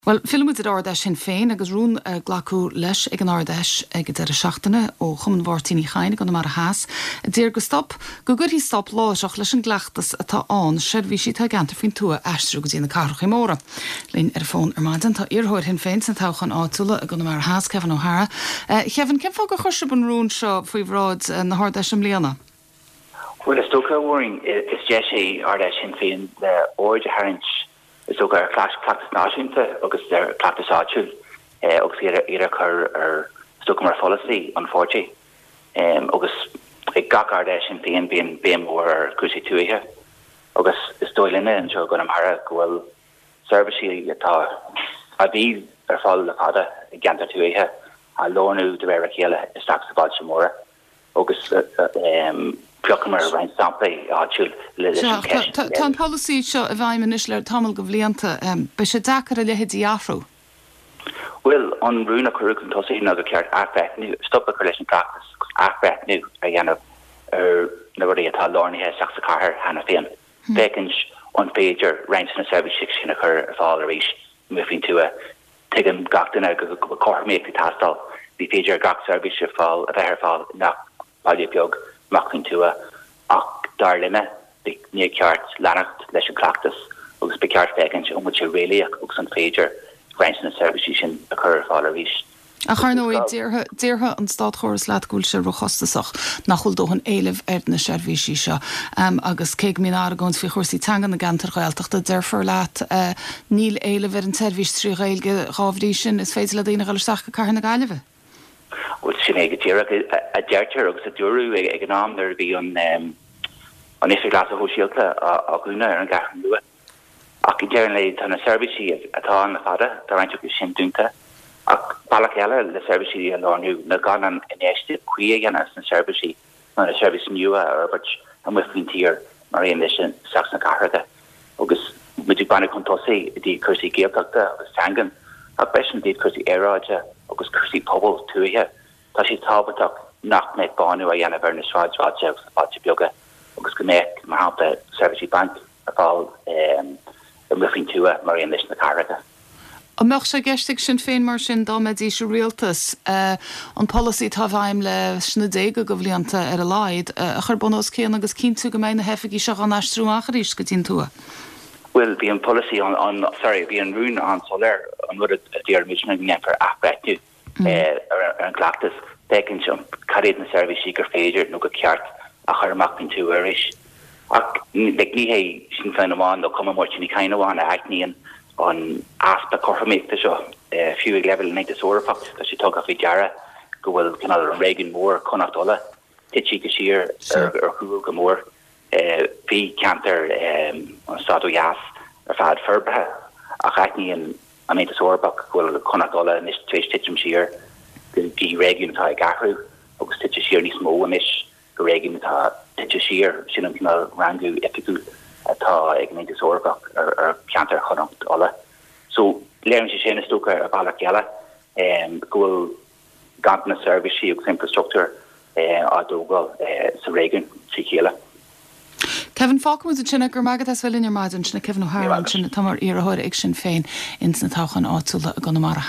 Bhuel, fillfidh muid ar Ard-Fheis Shinn Féin agus rún glacadh leis ag an Ard-Fheis ag an deireadh seachtaine ó Chumann Mháirtín Uí Chadhain i gConamara Theas a d'iarr go stop, go gcuirfí stop láithreach leis an gcleachtas atá ann seirbhísí atá i gceantair faoin tuath a aistriú go dtí na cathracha móra. Linn ar an bhfón ar maidin tá iarrthóir Shinn Féin sna toghcháin áitiúla i gConamara Theas, Kevin O'Hara. Kevin, cén fáth gur chuir sibh an rún seo faoi bhráid na hArd-Fheise i mbliana? Bhuel, is dócha, a Mháirín, is deis é Ard-Fheis Shinn Féin le aird a tharraingt Is dócha, ar chleachtas náisiúnta agus ar chleachtas áitiúil agus iad a chur ar, is dócha, mar pholasaí an pháirtí. Agus ag gach Ard-Fheis Shinn Féin bíonn béim mhór ar chúrsaí tuaithe agus is dóigh linne anseo i gConamara go bhfuil seirbhísí atá, a bhí ar fáil le fada i gceantair tuaithe á lárnú de réir a chéile isteach sna bailte móra. agus phiocamar roinnt samplaí áitiúil leis an cheist a Tá an polasaí seo i bhfeidhm anois le tamall de bhlianta. Beidh sé deacair a leithéid a athrú. Bhuel, an rún a cuireadh chun tosaigh ná gur cheart athbhreithniú, stop a chur leis an gcleachtas agus athbhreithniú a dhéanamh ar na rudaí atá lárnaithe isteach sa chathair cheana féin, féachaint an féidir roinnt de na seirbhísí sin a chur ar fáil arís amuigh faoin tuath. Tuigeann gach duine go bhfuil cothromaíocht ag teastáil. Ní féidir gach seirbhís ar fáil a bheith ar fáil i ngach baile beag amach faoin tuath ach dar linne níor cheart leanacht leis an gcleachtas agus ba cheart féachaint an bhfuil sé réalaíoch agus an féidir roinnt de na seirbhísí sin a chur ar fáil arís. Ach ar ndóigh, déarfadh an státchóras leat go bhfuil sé róchostasach, nach bhfuil dóthain éilimh ar na seirbhísí seo. Agus cé go mbíonn argóint faoi chúrsaí teanga na gceantar Ghaeltachta, déarfar leat níl éileamh ar an tseirbhís trí Ghaeilge, dhá bhrí sin is féidir le daoine a dhul isteach go Cathair na Gaillimhe. Bhuel, sin é go díreach a deirtear agus a dúradh ag an am nuair a bhí an Oifig Leasa Shóisialta á dhúnadh ar an gCeathrú Rua. Ach ag deireadh an lae, tá na seirbhísí atá ann le fada, tá roinnt acu sin dúnta. Ach bealach eile le seirbhísí a lárnú ná gan an infheistíocht cuí a dhéanamh sna seirbhísí nó na seirbhísí nua a fhorbairt amuigh faoin tír mar aon leis isteach sna cathracha. Agus muid ag breathnú chun tosaigh i dtaobh cúrsaí Gaeltachta agus teangan, ach freisin i dtaobh cúrsaí aeráide agus cúrsaí pobail tuaithe, tá sé tábhachtach nach mbeadh bánú á dhéanamh ar na sráidbhailte agus na bailte beaga agus go mbeadh, mar shampla, seirbhísí bainc ar fáil amuigh faoin tuath mar aon leis na cathracha. An mbeadh sé i gceist ag Sinn Féin mar sin, dá mbeidís i rialtas, an polasaí atá i bhfeidhm leis na déaga de bhlianta ar a laghad, a chur bun os cionn agus cinntiú go mbeidh na hoifigí seo á n-aistriú amach arís go dtí an tuath? Bhuel, bhí an polasaí an, sorry, bhí an rún an-soiléir, an rud a d'iarr muid ná go ndéanfar athbhreithniú ar an gcleachtas, féachaint cad iad na seirbhísí gur féidir nó gur ceart a chur amach faoin tuath arís. Ach like ní hé Sinn Féin amháin nó Cumann Máirtín Uí Chadhain amháin a aithníonn an easpa cothromaíochta seo. Fiú ag leibhéal an Aontais Eorpach tá sé tugtha faoi deara go bhfuil cineál an réigiún mór Chonnacht Uladh tite siar ar chúl go mór. Bhí ceantar an stáit ó dheas ar fad forbartha ach aithníonn an Aontas Eorpach go bhfuil Connacht Uladh anois tar éis titim siar go dtí réigiún atá ag athrú agus tite siar níos mó anois go réigiún atá tite siar. Sin an cineál rangú oifigiúil atá ag an Aontas Eorpach ar cheantar Chonnacht Uladh. So léiríonn sé sin, is dócha, ar bhealach eile go bhfuil ganntanas seirbhísí agus infreastruchtúir á dtógáil sa réigiún trí chéile. Kevin, Fágfaidh muid ansin é. Go raibh maith agat as bheith linn ar maidin. Sin é Kevin O'Hara ansin atá mar iarrthóir ag Sinn Féin ins na toghcháin áitiúla i gConamara.